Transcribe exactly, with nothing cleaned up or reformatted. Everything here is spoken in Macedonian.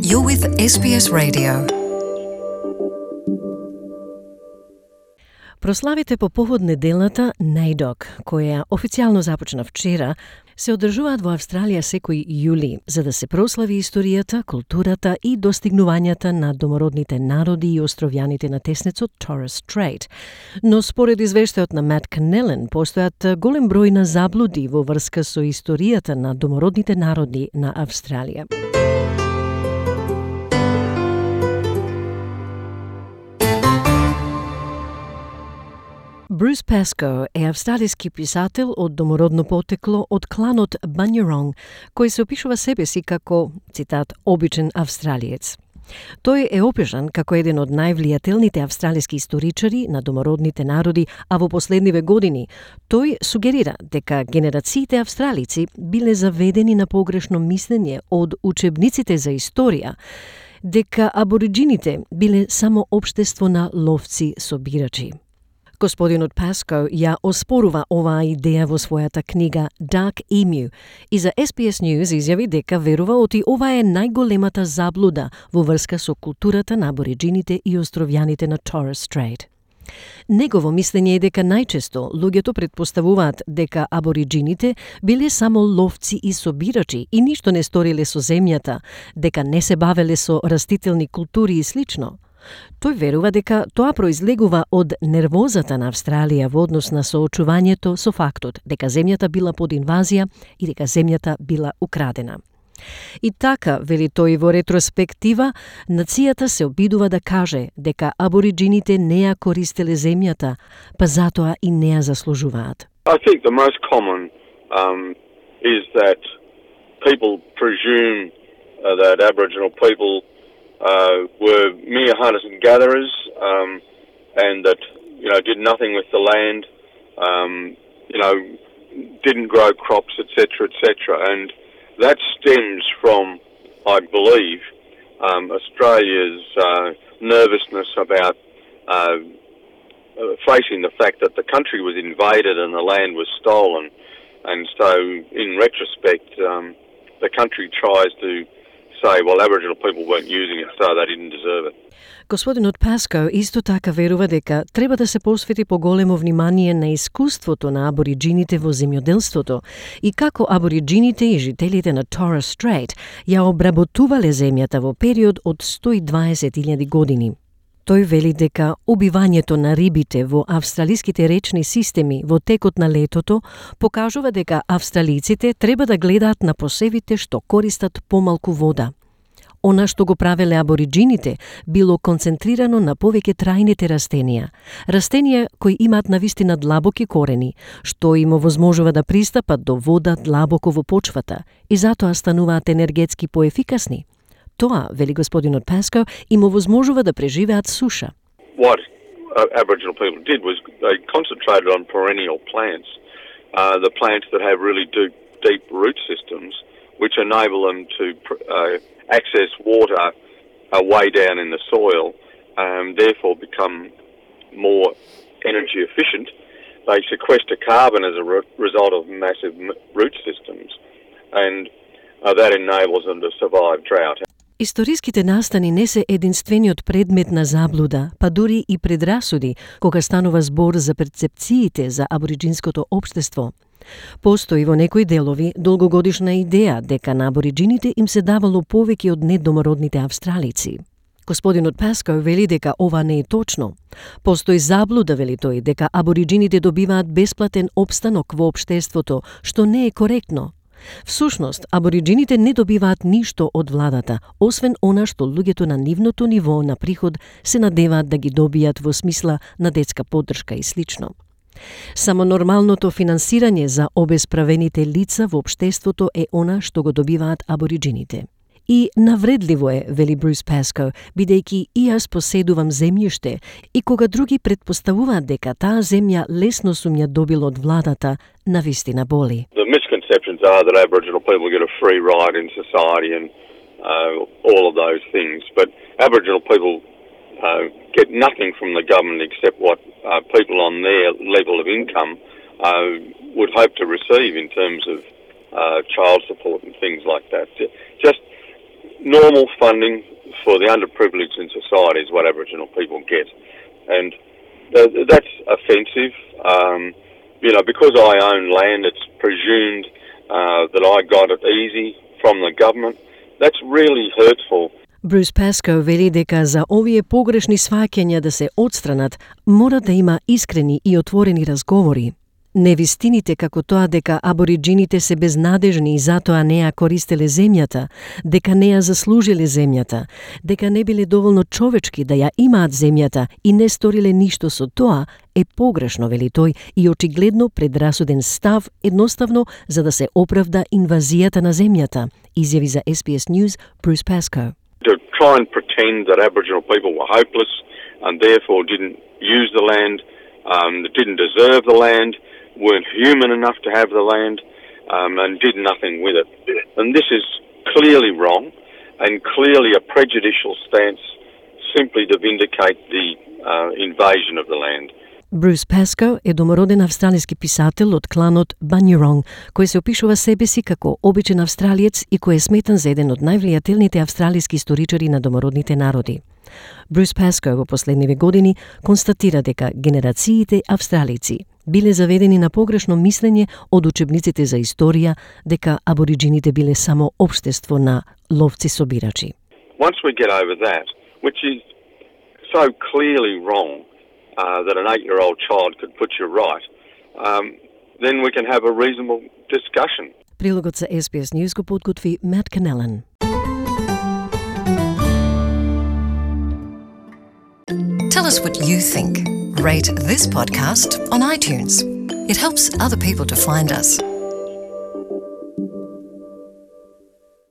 You're with S B S Radio. Прославите по повод неделната NAIDOC, која официјално започна вчера, се одржуваат во Австралија секој јули, за да се прослави историјата, културата и достигнувањата на домородните народи и островјаните на теснецот Torres Strait. Но според извештајот на Мат Канелен, постојат голем број на заблуди во врска со историјата на домородните народи на Австралија. Брус Паско е австралиски писател од домородно потекло од кланот Банјеронг, кој се опишува себе си како, цитат, обичен австралиец. Тој е опишан како еден од највлијателните австралиски историчари на домородните народи, а во последниве години тој сугерира дека генерациите австралици биле заведени на погрешно мислење од учебниците за историја, дека абориджините биле само општество на ловци-собирачи. Господинот Паско ја оспорува оваа идеја во својата книга Dark Emu и за S B S News изјави дека верува оти ова е најголемата заблуда во врска со културата на абориджините и островјаните на Torres Strait. Негово мислење е дека најчесто луѓето претпоставуваат дека абориджините биле само ловци и собирачи и ништо не сториле со земјата, дека не се бавеле со растителни култури и слично. Тој верува дека тоа произлегува од нервозата на Австралија во однос на соочувањето со фактот дека земјата била под инвазија и дека земјата била украдена. И така, вели тој во ретроспектива, нацијата се обидува да каже дека абориджините не ја користеле земјата, па затоа и не ја заслужуваат. I think the most common um, is that people presume uh, that Aboriginal people Uh, were mere hunters and gatherers, um, and that you know did nothing with the land, um, you know, didn't grow crops, et cetera, et cetera, and that stems from, I believe, um, Australia's uh, nervousness about uh, facing the fact that the country was invaded and the land was stolen, and so in retrospect, um, the country tries to say, well, Aboriginal people weren't using it, so they didn't deserve it. Господинот Паско исто така верува дека треба да се посвети поголемо внимание на искуството на абориджините во земјоделството и како абориджините и жителите на Torres Strait ја обработувале земјата во период од сто и дваесет илјади години. Тој вели дека убивањето на рибите во австралиските речни системи во текот на летото покажува дека австралиците треба да гледаат на посевите што користат помалку вода. Она што го правеле абориджините било концентрирано на повеќе трајните растенија, растенија кои имаат навистина длабоки корени, што им овозможува да пристапат до вода длабоко во почвата и затоа стануваат енергетски поефикасни. Тоа, вели господинот Паско, им овозможува да преживеат суша. What uh, Aboriginal people did was they concentrated on perennial plants, uh, the plants that have really deep, deep root systems, which enable them to uh, access water uh, way down in the soil, and therefore become more energy efficient. They sequester carbon as a re- result of massive m- root systems, and uh, that enables them to survive drought. Историските настани не се единствениот предмет на заблуда, па дури и предрасуди, кога станува збор за перцепциите за абориджинското општество. Постои во некои делови долгогодишна идеја дека на абориджините им се давало повеќе од недомородните австралици. Господинот Паско вели дека ова не е точно. Постои заблуда, вели тој, дека абориджините добиваат бесплатен опстанок во општеството, што не е коректно. Всушност, абориджините не добиваат ништо од владата, освен она што луѓето на нивното ниво на приход се надеваат да ги добијат во смисла на детска поддршка и слично. Само нормалното финансирање за обесправените лица во општеството е она што го добиваат абориджините. И навредливо е, вели Брус Паско, бидејќи и јас поседувам земјиште и кога други предпоставуваат дека таа земја лесно сум ја добил од владата, навистина боли. The misconceptions are that Aboriginal people get a free ride in society and uh, all of those things, but Aboriginal people uh, get nothing from the government except what uh, people on their level of income uh, would hope to receive in terms of uh, child support and things like that. Just normal funding for the underprivileged in society is what Aboriginal people get. And uh, that's offensive. Um, you know, because I own land, it's presumed uh, that I got it easy from the government. That's really hurtful. Брус Паскал вели дека за овие погрешни сваќања да се отстранат, мора да има искрени и отворени разговори. Невистините како тоа дека абориджините се безнадежни и затоа не ја користеле земјата, дека не ја заслужиле земјата, дека не биле доволно човечки да ја имаат земјата и не сториле ништо со тоа, е погрешно, вели тој, и очигледно предрасуден став едноставно за да се оправда инвазијата на земјата, изјави за Ес Би Ес News Брус Паскал. To try and pretend that Aboriginal people were hopeless and therefore didn't use the land, um, didn't deserve the land, weren't human enough to have the land, um, and did nothing with it. And this is clearly wrong and clearly a prejudicial stance simply to vindicate the uh, invasion of the land. Брус Паскал е домороден австралиски писател од кланот Банјеронг, кој се опишува себе си како обичен австралиец и кој е сметан за еден од највлијателните австралиски историчари на домородните народи. Брус Паскал во последниве години констатира дека генерациите австралици биле заведени на погрешно мислење од учебниците за историја дека абориджините биле само општество на ловци-собирачи. Once we get over that, which is so clearly wrong, uh, that an eight-year-old child could put you right, um, then we can have a reasonable discussion. Прилогот за Ес Би Ес News го подготви Мат Канелен. Tell us what you think. Rate this podcast on iTunes. It helps other people to find us.